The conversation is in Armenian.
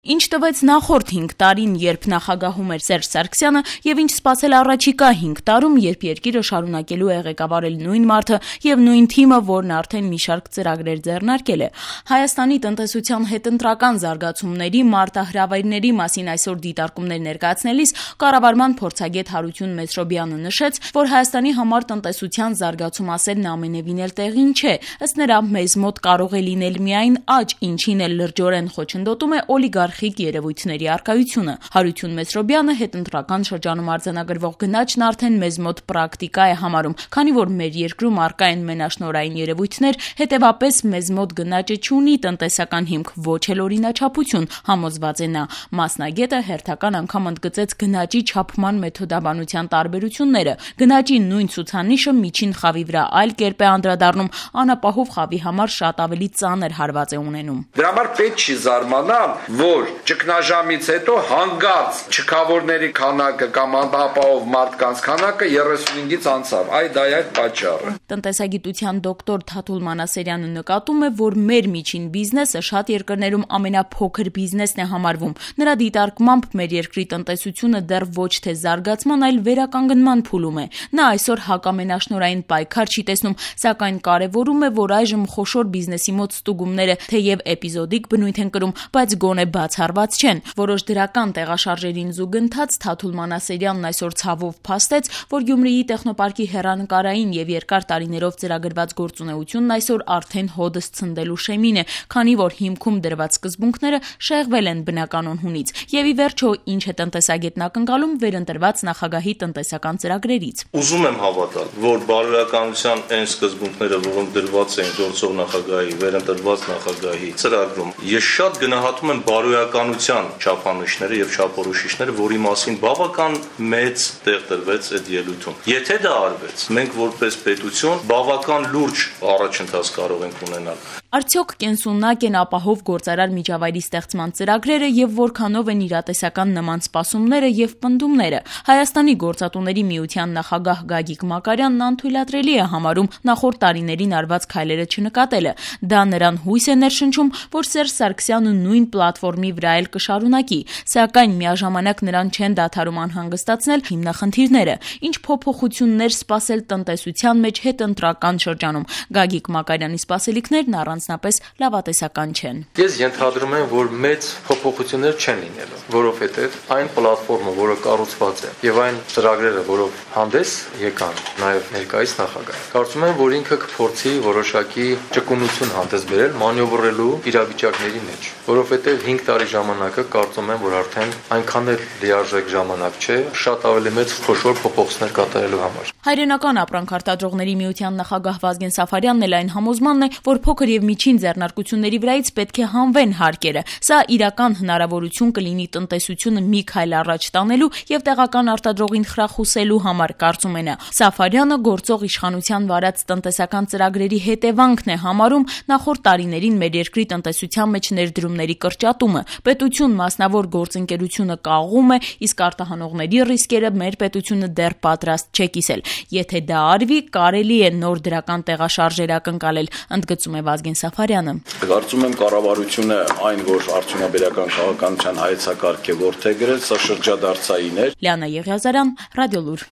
Ինչ տվեց նախորդ 5 տարին, երբ նախագահում էր Սերժ Սարգսյանը, եւ ինչ սպասել առաջիկա 5 տարում, երբ երկիրը շարունակելու է ղեկավարել նույն մարդը եւ նույն թիմը, որն արդեն մի շարք ծրագրեր ձեռնարկել է։ Հայաստանի տնտեսության հետընտրական զարգացումների, մարտահրավերների մասին այսօր դիտարկումներ ներկայացնելիս կառավարման փորձագետ Հարություն Մեսրոբյանը նշեց, որ Հայաստանի համար տնտեսության զարգացում ասելն ամենևին էլ տեղին չէ։ Ըստ նրա, մեզ մոտ կարող է լինել միայն աճ, ինչին էլ լրջորեն խոչընդոտում է օլիգարխիկ երևույթների առկայությունը։ Հարություն Մեսրոբյանը հետընտրական շրջանում արձանագրվող գնաճն արդեն մեզ մոտ պրակտիկա է համարում, քանի որ մեր երկրում առկա են մենաշնորհային երևույթներ, հետևաբար մեզ մոտ գնաճը չունի տնտեսական հիմք, ոչ էլ օրինաչափություն, համոզված է նա։ Մասնագետը հերթական անգամ ընդգծեց գնաճի չափման մեթոդաբանության տարբերությունները։ Գնաճի նույն ցուցանիշը միջին խավի վրա այլ կերպ է անդրադառնում, անապահով խավի համար շատ ավելի ծանր հարված է ունենում։ Դրա համար պետք չի զարմանալ, որ ճգնաժամից հետո հանգած չքավորների քանակը կամ անապահով մարդկանց քանակը 35-ից անցավ։ Դա է պատճառը։ Տնտեսագիտության դոկտոր Թաթուլ Մանասերյանը նկատում է, որ մեր միջին բիզնեսը շատ երկրներում ամենափոքր բիզնեսն է համարվում։ Նրա դիտարկմամբ մեր երկրի տնտեսությունը դեռ ոչ թե զարգացման, այլ վերականգնման փուլում է։ Նա այսօր հակամենաշնորհային պայքար չի տեսնում, սակայն կարևորում է, որ այժմ խոշոր բիզնեսի մոտ ստուգումները թեև էպիզոդիկ բնույթ են կրում, բայց գոնե բացառված չեն։ Որոշ դրական տեղաշարժերին զուգընթաց Թաթուլ Մանասերյանն այսօր ցավով փաստեց, որ Գյումրիի տեխնոպարկի հեռանկարային եւ երկար տարիներով ծրագրված գործունեությունն այսօր արդեն հոդս ցնդելու շեմին է, քանի որ հիմքում դրված սկզբունքները շեղվել են բնականon հունից։ Եվ ի վերջո, ինչ է տնտեսագետն ակնկալում վերընտրված նախագահի տնտեսական ծրագրերից։ Ուզում եմ հավատալ, որ բարոյականության այն սկզբունքները, որոնք դրված են գործող նախագահի, վերընտրված նախագահի ծրագրում, ես շատ գնահատում եմ բարոյականության չափանիշները եւ չափորոշիչները, որի մասին բավական մեծ տեղ տրվեց այդ ելույթում։ Եթե դա արվեց, մենք որպես պետություն բավական լուրջ առաջընթաց կարող ենք ունենալ։ Արդյոք կենսունակ են ապահով գործարար միջավայրի ստեղծման ծրագրերը եւ որքանով են իրատեսական նման սպասումները եւ պնդումները։ Հայաստանի գործատուների միության նախագահ Գագիկ Մակարյանն անթույլատրելի է համարում նախորդ տարիներին արված քայլերը չնկատելը։ Դա նրան հույս է ներշնչում, որ Սերժ Սարգսյանը նույն պլատֆորմի վրա էլ կշարունակի, սակայն միաժամանակ նրան չեն դադարում անհանգստացնել հիմնախնդիրները։ Ինչ փոփոխություններ սպասել տնտեսության մեջ հետընտրական շրջանում։ Գագիկ Մակարյանի սպասելիքներն առանձնապես լավատեսական չեն։ Ես ենթադրում եմ, որ մեծ փոփոխություններ չեն լինելու, որովհետև այն պլատֆորմը, որը կառուցված է, եւ այն ծրագրերը, որով հանդես եկան նաեւ ներկայիս նախագահը, կարծում եմ, որ ինքը կփորձի որոշակի ճկունություն հանդես բերել մանևրելու իրավիճակների մեջ, որովհետև 5 տարի ժամանակը կարծում եմ, որ արդեն այնքան էլ լիարժեք ժամանակ չէ, շատ ավելի մեծ խոշոր փոփոխություններ կատարելու համար։ Հայրենական ապրանք արտադրողների միության նախագահ Վազգեն Սաֆարյանն էլ այն համոզմանն է, որ փոքր եւ միջին ձեռնարկությունների վրայից պետք է հանվեն հարկերը։ Սա իրական հնարավորություն կլինի տնտեսությունը մի քայլ առաջ տանելու եւ տեղական արտադրողին խրախուսելու համար, կարծում է նա։ Սաֆարյանը գործող իշխանության վարած տնտեսական ծրագրերի հետևանքն է համարում նախորդ տարիներին մեր երկրի տնտեսության մեջ ներդրումների կրճատումը։ Պետություն մասնավոր գործընկերությունը կաղում է, իսկ արտահանողների ռիսկերը մեր պետությունը դեռ պատրաստ չէ կիսել։ Եթե դա արվի, կարելի է նոր դրական տեղաշարժեր ակնկալել, ընդգծում է Վազգեն Սաֆարյանը։ Կարծում եմ կառավարությունը այն, որ արդյունաբերական քաղաքականության հայեցակարգ է որդեգրել, սա շրջադարձային է։ Լիանա Եղիազարյան, Ռադիոլուր։